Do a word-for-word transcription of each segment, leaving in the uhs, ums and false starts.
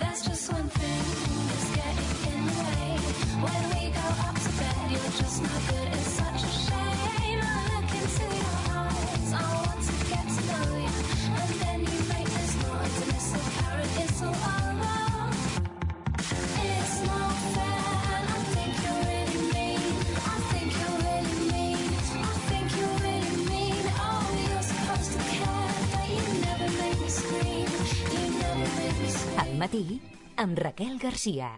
There's just one thing that's getting in the way. When we go up to bed, you're just not good. It's such a shame. I look into your eyes. I want to get to know you. And then you make this noise, and it's so apparent it's all over. It's not fair, and I think you're really mean. I think you're really mean. I think you're really mean. Oh, you're supposed to care, but you never make me scream. You never make me scream. Al matí, amb Raquel Garcia.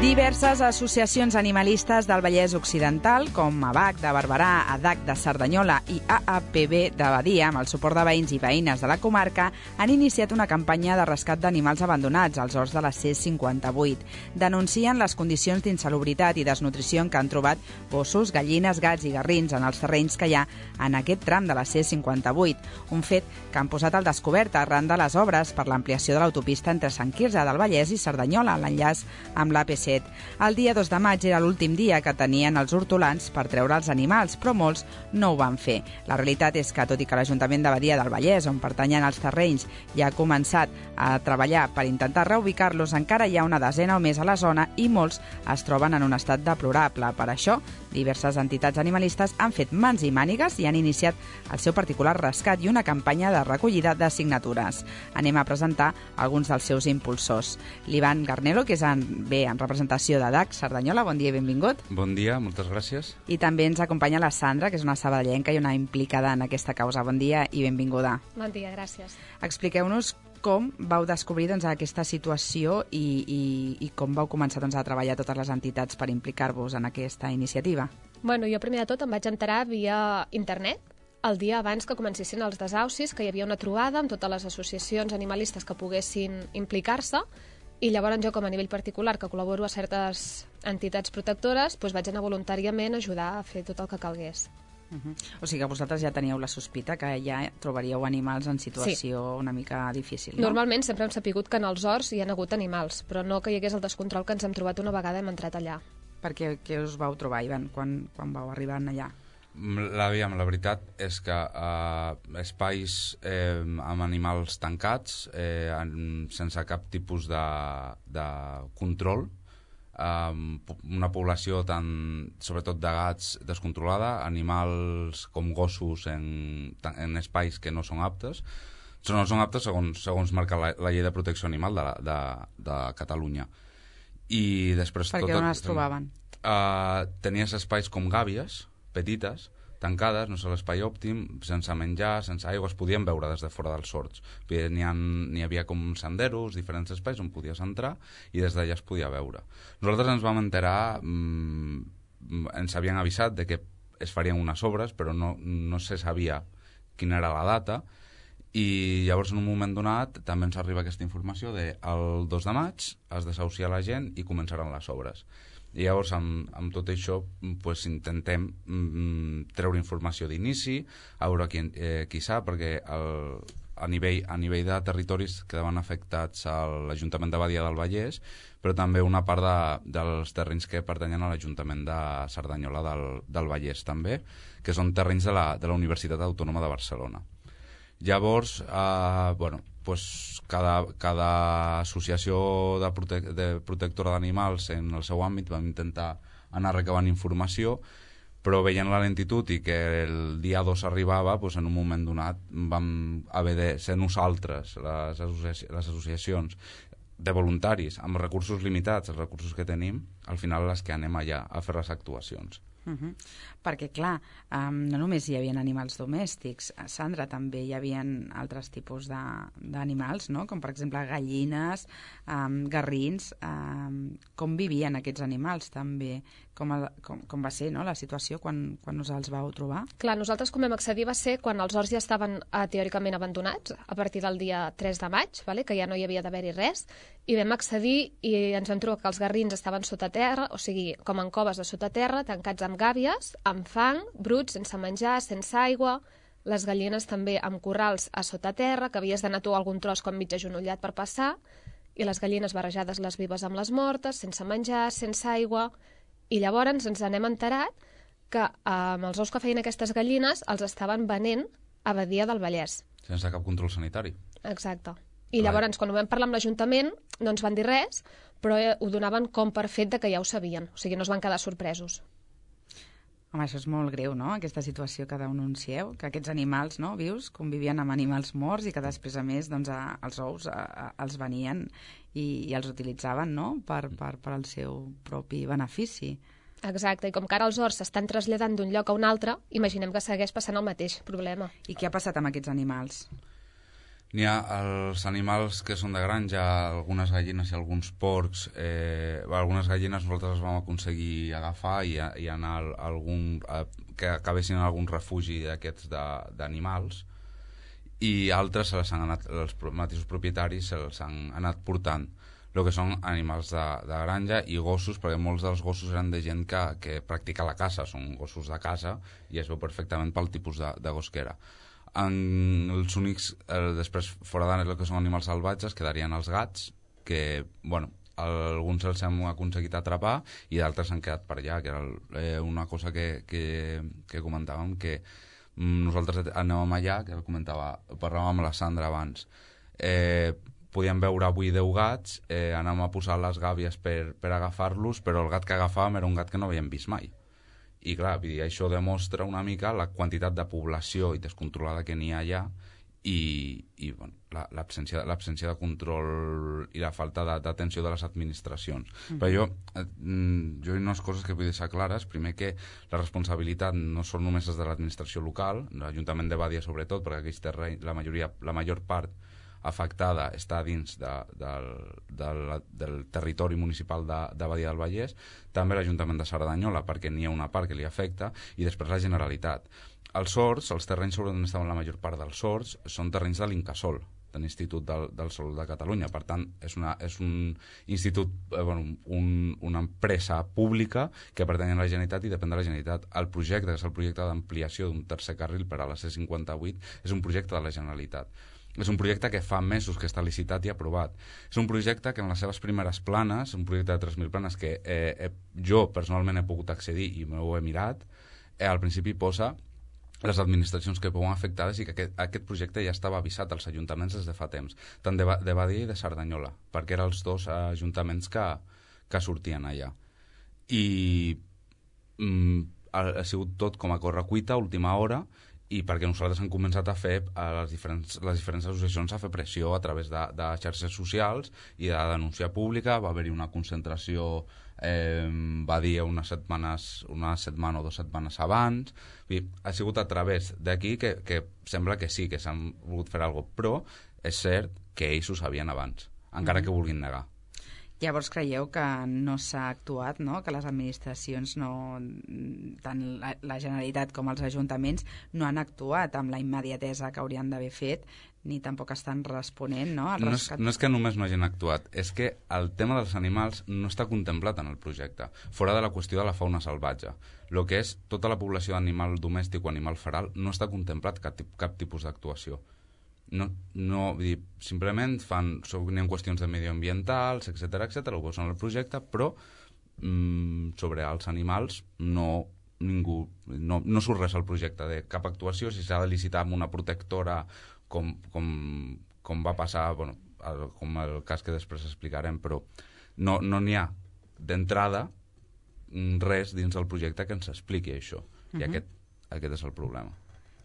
Diverses associacions animalistes del Vallès Occidental, com A B A C de Barberà, A D A C de Cerdanyola i A A P B de Badia, amb el suport de veïns i veïnes de la comarca, han iniciat una campanya de rescat d'animals abandonats als horts de la C cinquanta-vuit. Denuncien les condicions d'insalubritat i desnutrició en què han trobat gossos, gallines, gats i garrins en els terrenys que hi ha en aquest tram de la C cinquanta-vuit, un fet que han posat al descobert arran de les obres per l'ampliació de l'autopista entre Sant Quirze del Vallès i Cerdanyola, l'enllaç amb l'A P set. El dia dos de maig era l'últim dia que tenien els hortolans per treure els animals, però molts no ho van fer. La realitat és que, tot i que l'Ajuntament de Badia del Vallès, on pertanyen els terrenys, ja ha començat a treballar per intentar reubicar-los, encara hi ha una desena o més a la zona i molts es troben en un estat deplorable. Per això, diverses entitats animalistes han fet mans i mànigues i han iniciat el seu particular rescat i una campanya de recollida de signatures. Anem a presentar alguns dels seus impulsors. L'Ivan Garnelo, que és en, bé en representació de A D A C Cerdanyola, bon dia i benvingut. Bon dia, moltes gràcies. I també ens acompanya la Sandra, que és una sabadellenca i una implicada en aquesta causa. Bon dia i benvinguda. Bon dia, gràcies. Expliqueu-nos com vau descobrir doncs, aquesta situació i, i, i com vau començar doncs, a treballar totes les entitats per implicar-vos en aquesta iniciativa. Bueno, jo primer de tot em vaig enterar via internet, el dia abans que comencessin els desaucis, que hi havia una trobada amb totes les associacions animalistes que poguessin implicar-se, i llavors jo, com a nivell particular, que col·laboro a certes entitats protectores, doncs vaig anar voluntàriament a ajudar a fer tot el que calgués. Uh-huh. O sigui que vosaltres ja teníeu la sospita que ja trobaríeu animals en situació sí. una mica difícil, no? Normalment sempre hem sapigut que en els horts hi ha hagut animals, però no que hi hagués el descontrol que ens hem trobat una vegada hem entrat allà. Per què, què us vau trobar, Ivan, quan, quan vau arribar allà? La, la veritat és que eh, espais eh, amb animals tancats, eh, en, sense cap tipus de, de control, eh, una població tan, sobretot de gats, descontrolada, animals com gossos en, en espais que no són aptes, no són aptes segons, segons marca la, la llei de protecció animal de, de, de Catalunya. I després... Per què on es trobaven? Eh, tenies espais com gàbies, petites, tancades, no sé, l'espai òptim, sense menjar, sense aigua, es podien veure des de fora dels horts. N'hi, n'hi havia com senderos, diferents espais on podies entrar i des d'allà es podia veure. Nosaltres ens vam enterar, mmm, ens havien avisat de que es farien unes obres, però no, no se sabia quina era la data, i llavors en un moment donat també ens arriba aquesta informació de el dos de maig es desahucia la gent i començaran les obres. I llavors, amb, amb tot això, pues, intentem mm, treure informació d'inici, a veure qui, eh, qui sap, perquè el, a, nivell, a nivell de territoris quedaven afectats a l'Ajuntament de Badia del Vallès, però també una part de, dels terrenys que pertanyen a l'Ajuntament de Cerdanyola del, del Vallès, també, que són terrenys de la, de la Universitat Autònoma de Barcelona. Llavors, eh, bueno, pues cada, cada associació de, prote de protectora d'animals en el seu àmbit vam intentar anar recabant informació, però veient la lentitud i que el dia dos arribava, pues en un moment donat vam haver de ser nosaltres, les, associa les associacions de voluntaris, amb recursos limitats, els recursos que tenim, al final les que anem allà a fer les actuacions. Uh-huh. Perquè, clar, um, no només hi havia animals domèstics, Sandra, també hi havia altres tipus d'animals, no? Com per exemple gallines, um, garrins, um, com vivien aquests animals també, com, el, com, com va ser, no?, la situació quan, quan us els vau trobar? Clar, nosaltres com vam accedir va ser quan els horts ja estaven eh, teòricament abandonats, a partir del dia tres de maig, vale? Que ja no hi havia d'haver-hi res, i vam accedir i ens vam trobar que els garrins estaven sota terra, o sigui, com en coves de sota terra, tancats amb gàbies, amb fang, bruts, sense menjar, sense aigua, les gallines també amb corrals a sota terra, que havies d'anar tu a algun tros com mig agenollat per passar, i les gallines barrejades les vives amb les mortes, sense menjar, sense aigua, i llavors ens n'hem enterat que amb els ous que feien aquestes gallines els estaven venent a Badia del Vallès. Sense cap control sanitari. Exacte. I llavors, quan ho vam parlar amb l'Ajuntament, no ens van dir res, però ho donaven com per fet de que ja ho sabien. O sigui, no es van quedar sorpresos. Home, això és molt greu, no?, aquesta situació que denuncieu, que aquests animals, no?, vius, convivien amb animals morts i que després, a més, doncs, a, els ous a, a, els venien i, i els utilitzaven, no?, per, per, per al seu propi benefici. Exacte, i com que ara els horts s'estan traslladant d'un lloc a un altre, imaginem que segueix passant el mateix problema. I què ha passat amb aquests animals? N'hi ha els animals que són de granja, algunes gallines i alguns porcs. Eh, algunes gallines nosaltres les vam aconseguir agafar i, i anar a algun, a, que acabessin en algun refugi d'aquests d'animals, i altres se les han anat, els mateixos propietaris se les han anat portant. El que són animals de, de granja i gossos, perquè molts dels gossos eren de gent que, que practica la caça, són gossos de casa i es veu perfectament pel tipus de, de gos que era. En els únics, eh, després, fora del que són animals salvatges, quedarien els gats, que, bueno, alguns els hem aconseguit atrapar i d'altres s'han quedat per allà, que era eh, una cosa que, que, que comentàvem, que mm, nosaltres anàvem allà, que comentava, parlàvem amb la Sandra abans, eh, podíem veure avui deu gats, eh, anàvem a posar les gàbies per, per agafar-los, però el gat que agafàvem era un gat que no havíem vist mai. I clar, vull dir, això demostra una mica la quantitat de població i descontrolada que n'hi ha allà i, i bueno, l'absència l'absència de control i la falta d'atenció de les administracions. Mm-hmm. Però jo, eh, jo hi ha unes coses que vull deixar clares. Primer, que la responsabilitat no són només de l'administració local, l'Ajuntament de Badia sobretot, perquè aquells terrenys, la majoria, la major part afectada està dins de, del, del, del territori municipal de, de Badia del Vallès, també l'Ajuntament de Cerdanyola, perquè n'hi ha una part que li afecta, i després la Generalitat. Els horts, els terrenys sobre on estaven la major part dels horts, són terrenys de l'Incasòl, de l'Institut del, del Sol de Catalunya. Per tant, és, una, és un institut, eh, bueno, un, una empresa pública que pertany a la Generalitat i depèn de la Generalitat. El projecte, que és el projecte d'ampliació d'un tercer carril per a la C cinquanta-vuit, és un projecte de la Generalitat. És un projecte que fa mesos que està licitat i aprovat. És un projecte que en les seves primeres planes, un projecte de tres mil planes que eh, eh, jo personalment he pogut accedir i m'ho he mirat, eh, al principi posa les administracions que veuen afectades i que aquest, aquest projecte ja estava avisat als ajuntaments des de fa temps, tant de, de Badia i de Cerdanyola, perquè eren els dos ajuntaments que, que sortien allà. I mm, ha, ha sigut tot com a correcuita, última hora, i perquè nosaltres hem començat a fer, a les diferents, les diferents associacions, a fer pressió a través de, de xarxes socials i de denúncia pública. Va haver-hi una concentració, eh, va dir unes setmanes, una setmana o dues setmanes abans. I ha sigut a través d'aquí que, que sembla que sí, que s'han volgut fer alguna cosa, però és cert que ells ho sabien abans, encara mm-hmm. que vulguin negar. Llavors creieu que no s'ha actuat, no? Que les administracions, no, tant la, la Generalitat com els ajuntaments, no han actuat amb la immediatesa que haurien d'haver fet, ni tampoc estan responent, no? No és, no és que només no hagin actuat, és que el tema dels animals no està contemplat en el projecte, fora de la qüestió de la fauna salvatge. El que és tota la població d'animal domèstic o animal feral no està contemplat cap, cap tipus d'actuació. No, no, vull dir, simplement fan, n'hi ha qüestions de medioambientals, etcètera, etcètera, ho posen al projecte, però mm, sobre els animals no, ningú, no, no surt res al projecte de cap actuació. Si s'ha de licitar amb una protectora, com, com, com va passar, bueno, el, com el cas que després explicarem, però no n'hi no ha d'entrada res dins del projecte que ens expliqui això. Uh-huh. I aquest, aquest és el problema.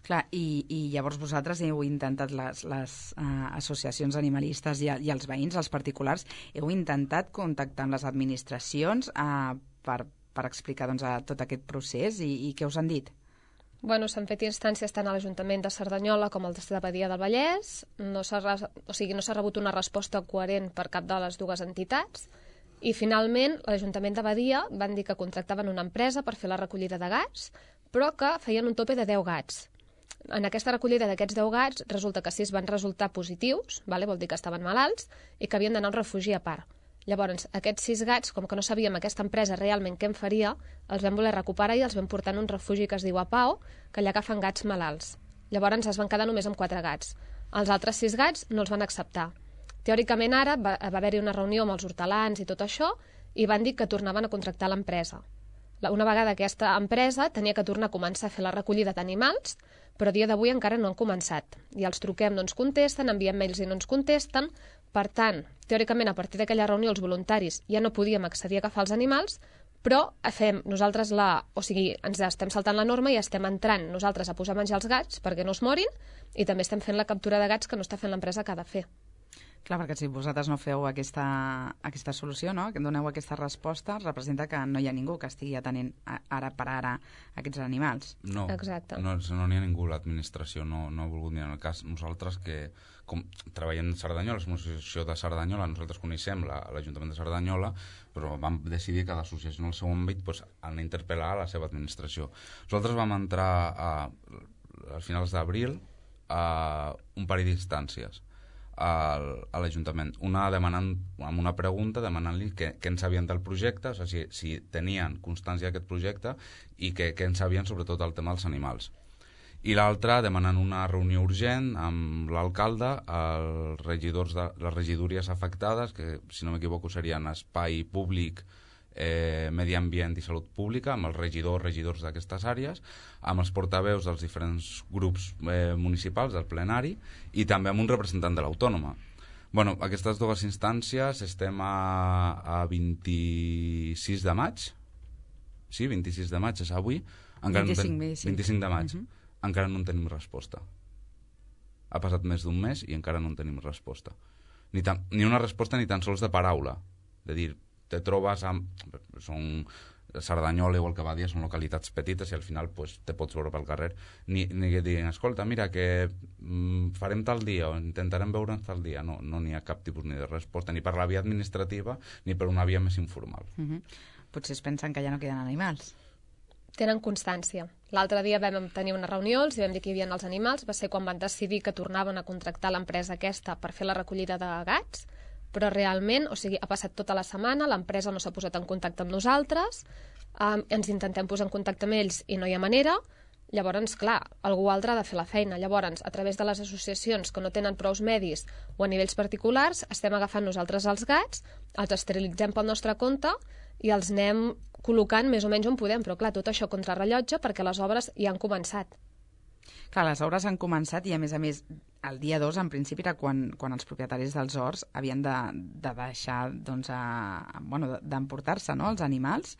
Clar, i, i llavors vosaltres heu intentat, les, les uh, associacions animalistes i, i els veïns, els particulars, heu intentat contactar amb les administracions uh, per, per explicar doncs, a tot aquest procés i, i què us han dit? Bueno, s'han fet instàncies tant a l'Ajuntament de Cerdanyola com al de Badia del Vallès. No s'ha, o sigui, no s'ha rebut una resposta coherent per cap de les dues entitats. I finalment l'Ajuntament de Badia van dir que contractaven una empresa per fer la recollida de gats, però que feien un tope de deu gats. En aquesta recollida d'aquests deu gats resulta que sis van resultar positius, vale? Vol dir que estaven malalts, i que havien d'anar a un refugi a part. Llavors, aquests sis gats, com que no sabíem aquesta empresa realment què en faria, els vam voler recuperar i els vam portar en un refugi que es diu Apao, que allà agafen gats malalts. Llavors es van quedar només amb quatre gats. Els altres sis gats no els van acceptar. Teòricament ara va, va haver-hi una reunió amb els hortelans i tot això i van dir que tornaven a contractar l'empresa. Una vegada aquesta empresa tenia que tornar a començar a fer la recollida d'animals, però a dia d'avui encara no han començat. I els truquem, no ens contesten, enviem mails i no ens contesten. Per tant, teòricament, a partir d'aquella reunió, els voluntaris ja no podíem accedir a agafar els animals, però fem nosaltres la... O sigui, ens estem saltant la norma i estem entrant nosaltres a posar a menjar els gats perquè no es morin i també estem fent la captura de gats que no està fent l'empresa que ha de fer. Clar, perquè si vosaltres no feu aquesta, aquesta solució, no? Que doneu aquesta resposta, representa que no hi ha ningú que estigui atenent ara per ara aquests animals. No, Exacte. no, no n'hi ha ningú, l'administració no, no ha volgut ni en el cas. Nosaltres que, com treballem a Cerdanyola, som una associació de Cerdanyola, nosaltres coneixem l'Ajuntament de Cerdanyola, però vam decidir que l'associació en el seu àmbit pues, han d'interpel·lar la seva administració. Nosaltres vam entrar a, a finals d'abril a un parell d'instàncies a l'Ajuntament, una demanant amb una pregunta demanant-li què, què en sabien del projecte, o sigui, si, si tenien constància d'aquest projecte i què, què en sabien sobretot el tema dels animals. I l'altra demanant una reunió urgent amb l'alcalde, els regidors de les regidories afectades, que si no m'equivoco serien Espai Públic, Eh, Medi Ambient i Salut Pública, amb els regidors regidors d'aquestes àrees, amb els portaveus dels diferents grups eh, municipals del plenari i també amb un representant de l'Autònoma. Bueno, aquestes dues instàncies estem a, a vint-i-sis de maig, sí, vint-i-sis de maig és avui, encara vint-i-cinc, no ten... sí. vint-i-cinc de maig, uh-huh. Encara no en tenim resposta. Ha passat més d'un mes i encara no en tenim resposta. Ni, tan, ni una resposta ni tan sols de paraula, de dir, te trobes amb... Són Cerdanyola, igual que Badia, són localitats petites i al final pues, te pots veure pel carrer. Ni, ni que diguin, escolta, mira, que mm, farem tal dia o intentarem veure'ns tal dia. No no n'hi ha cap tipus ni de resposta, ni per la via administrativa ni per una via més informal. Uh-huh. Potser es pensen que ja no queden animals. Tenen constància. L'altre dia vam tenir una reunió, els vam dir que hi havia els animals, va ser quan van decidir que tornaven a contractar l'empresa aquesta per fer la recollida de gats, però realment, o sigui, ha passat tota la setmana, l'empresa no s'ha posat en contacte amb nosaltres, eh, ens intentem posar en contacte amb ells i no hi ha manera, llavors, clar, algú altre ha de fer la feina. Llavors, a través de les associacions que no tenen prous medis o a nivells particulars, estem agafant nosaltres els gats, els esterilitzem pel nostre compte i els anem col·locant més o menys on podem, però clar, tot això contra rellotge perquè les obres ja han començat. Clar, les obres han començat i, a més a més, el dia dos, en principi, era quan, quan els propietaris dels horts havien de, de deixar, doncs, a, bueno, d'emportar-se, no?, els animals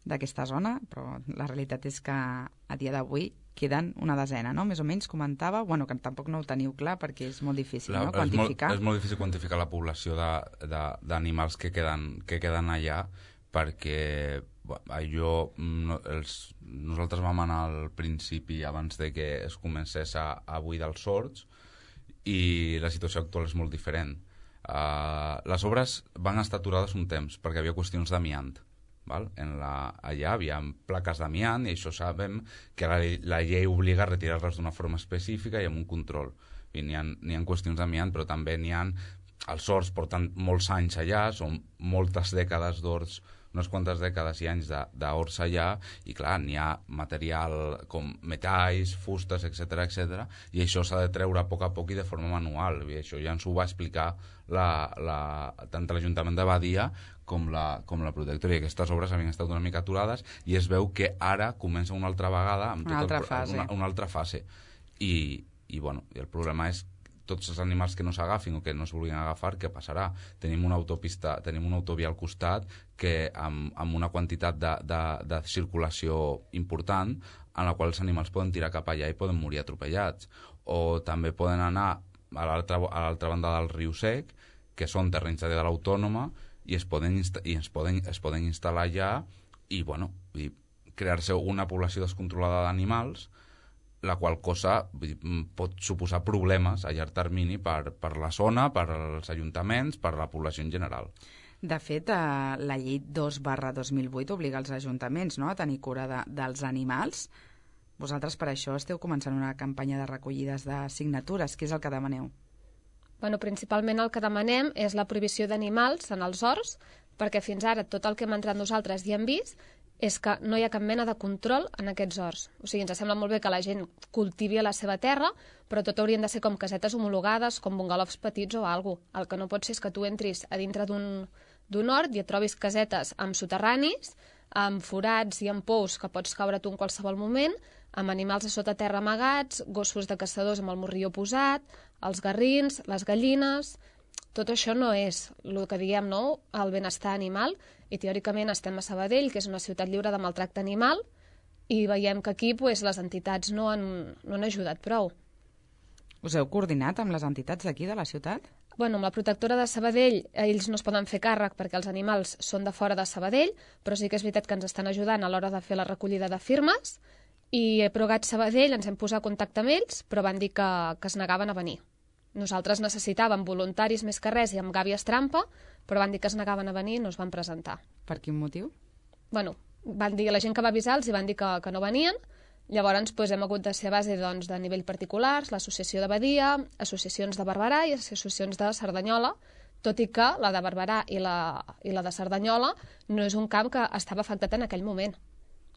d'aquesta zona, però la realitat és que a dia d'avui queden una desena, no?, més o menys, comentava, bueno, que tampoc no ho teniu clar perquè és molt difícil, la, no?, quantificar. És molt, és molt difícil quantificar la població d'animals que queden, que queden allà, perquè allò, no, els, nosaltres vam anar al principi abans de que es comencés a, a buidar els horts i la situació actual és molt diferent. Uh, les obres van estar aturades un temps perquè hi havia qüestions d'amiant. Val? En la, allà hi havia plaques d'amiant i això sabem que la, la llei obliga a retirar-les d'una forma específica i amb un control. I n'hi ha, n'hi ha qüestions d'amiant, però també n'hi ha... Els horts porten molts anys allà, són moltes dècades d'horts, unes quantes dècades i anys d'horts allà, i clar, n'hi ha material com metalls, fustes, etcètera, etcètera, i això s'ha de treure a poc a poc i de forma manual, i això ja ens ho va explicar la, la, tant l'Ajuntament de Badia com la, com la protectora, i aquestes obres havien estat una mica aturades, i es veu que ara comença una altra vegada, amb una, tot altra el, fase. Una, una altra fase, i, i bueno, i el problema és tots els animals que no s'agafin o que no es vulguin agafar, què passarà? Tenim una autopista, tenim una autovia al costat que amb, amb una quantitat de, de, de circulació important en la qual els animals poden tirar cap allà i poden morir atropellats. O també poden anar a l'altra a l'altra banda del riu Sec, que són terrenys de l'Autònoma, i es poden, i es poden, es poden instal·lar allà i, bueno, i crear-se una població descontrolada d'animals, la qual cosa pot suposar problemes a llarg termini per, per la zona, per als ajuntaments, per la població en general. De fet, eh, la llei dos barra dos mil vuit obliga els ajuntaments, no?, a tenir cura de, dels animals. Vosaltres per això esteu començant una campanya de recollides de signatures. Què és el que demaneu? Bueno, principalment el que demanem és la prohibició d'animals en els horts, perquè fins ara tot el que hem entrat nosaltres ja hem vist, és que no hi ha cap mena de control en aquests horts. O sigui, ens sembla molt bé que la gent cultivi a la seva terra, però tot haurien de ser com casetes homologades, com bungalofs petits o alguna cosa. El que no pot ser és que tu entris a dintre d'un d'un hort i et trobis casetes amb soterranis, amb forats i amb pous que pots caure tu en qualsevol moment, amb animals a sota terra amagats, gossos de caçadors amb el morrió posat, els garrins, les gallines... Tot això no és el que diem, no?, el benestar animal, i teòricament estem a Sabadell, que és una ciutat lliure de maltracte animal, i veiem que aquí pues, les entitats no han, no han ajudat prou. Us heu coordinat amb les entitats d'aquí, de la ciutat? Bueno, amb la protectora de Sabadell, ells no es poden fer càrrec perquè els animals són de fora de Sabadell, però sí que és veritat que ens estan ajudant a l'hora de fer la recollida de firmes, i a Progat Sabadell ens hem posat en contacte amb ells, però van dir que, que es negaven a venir. Nosaltres necessitàvem voluntaris més que res i amb gàbies trampa, però van dir que es negaven a venir i no es van presentar. Per quin motiu? Bueno, van dir, la gent que va avisar-los i van dir que, que no venien. Llavors doncs, hem hagut de ser a base doncs, de nivell particulars, l'associació de Badia, associacions de Barberà i associacions de Cerdanyola, tot i que la de Barberà i la, i la de Cerdanyola no és un camp que estava afectat en aquell moment,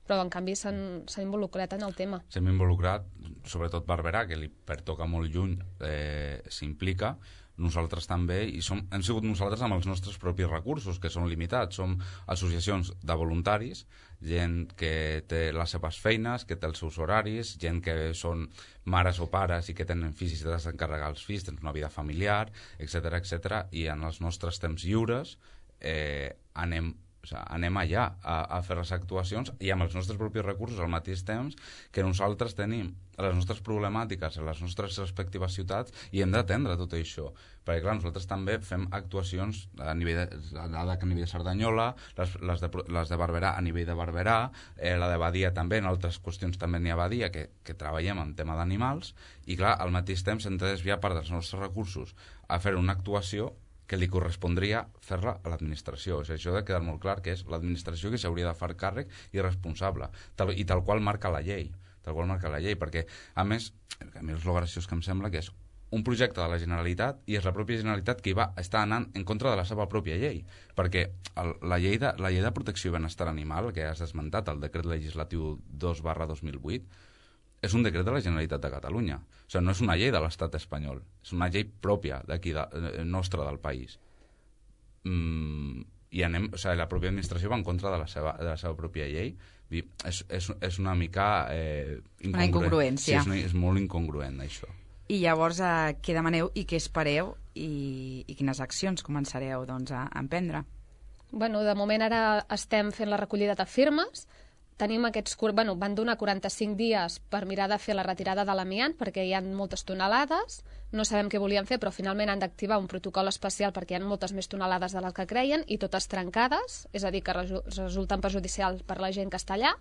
però en canvi s'han involucrat en el tema. S'hem involucrat, sobretot Barberà, que li pertoca molt lluny, eh, s'implica, nosaltres també, i som, hem sigut nosaltres amb els nostres propis recursos, que són limitats. Som associacions de voluntaris, gent que té les seves feines, que té els seus horaris, gent que són mares o pares i que tenen fills i tenen d'encarregar els fills, tenen una vida familiar, etcètera, etcètera, i en els nostres temps lliures eh, anem O sigui, anem allà a, a fer les actuacions i amb els nostres propis recursos al mateix temps que nosaltres tenim les nostres problemàtiques a les nostres respectives ciutats i hem d'atendre tot això. Perquè, clar, nosaltres també fem actuacions a nivell de, a nivell de Cerdanyola, les, les, de, les de Barberà a nivell de Barberà, eh, la de Badia també, en altres qüestions també n'hi ha a Badia, que, que treballem en tema d'animals, i, clar, al mateix temps hem de desviar part dels nostres recursos a fer una actuació que li correspondria fer-la a l'administració. O sigui, això ha de quedar molt clar que és l'administració que s'hauria de fer càrrec i responsable, tal, i tal qual marca la llei, tal qual marca la llei, perquè, a més, a mi és el graciós que em sembla que és un projecte de la Generalitat i és la pròpia Generalitat que hi va estar anant en contra de la seva pròpia llei, perquè el, la, llei de, la llei de protecció i benestar animal, que has esmentat, el decret legislatiu dos barra dos mil vuit, és un decret de la Generalitat de Catalunya. O sigui, no és una llei de l'estat espanyol, és una llei pròpia d'aquí, de, de, nostra del país. Mm, I anem, o sigui, la pròpia administració va en contra de la seva, de la seva pròpia llei. I és, és, és una mica eh, incongruent. Una incongruència. Sí, és, una, és molt incongruent, això. I llavors, eh, què demaneu i què espereu i, i quines accions començareu doncs, a emprendre? Bueno, de moment ara estem fent la recollida de firmes. Tenim aquests, bueno, van donar quaranta-cinc dies per mirar de fer la retirada de l'amiant perquè hi ha moltes tonelades, no sabem què volien fer, però finalment han d'activar un protocol especial perquè hi ha moltes més tonelades de les que creien i totes trencades, és a dir, que resulten perjudicials per la gent que està allà.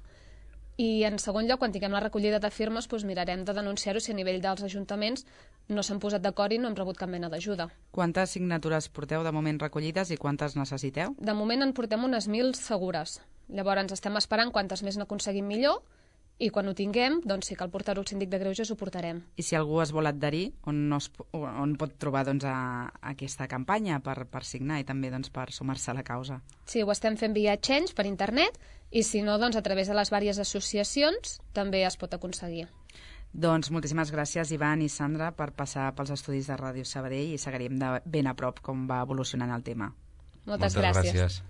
I en segon lloc, quan tinguem la recollida de firmes, doncs mirarem de denunciar-ho si a nivell dels ajuntaments no s'han posat d'acord i no hem rebut cap mena d'ajuda. Quantes signatures porteu de moment recollides i quantes necessiteu? De moment en portem unes mil segures. Llavors estem esperant quantes més n'aconseguim millor i quan ho tinguem, doncs sí que al portar-ho al síndic de greuges ho portarem. I si algú es vol adherir, on, no es, on pot trobar doncs, a, a aquesta campanya per, per signar i també doncs, per sumar-se a la causa? Sí, ho estem fent via Change per internet i si no, doncs, a través de les diverses associacions també es pot aconseguir. Doncs moltíssimes gràcies, Ivan i Sandra, per passar pels estudis de Ràdio Sabadell i seguirem de ben a prop com va evolucionant el tema. Moltes, Moltes gràcies. gràcies.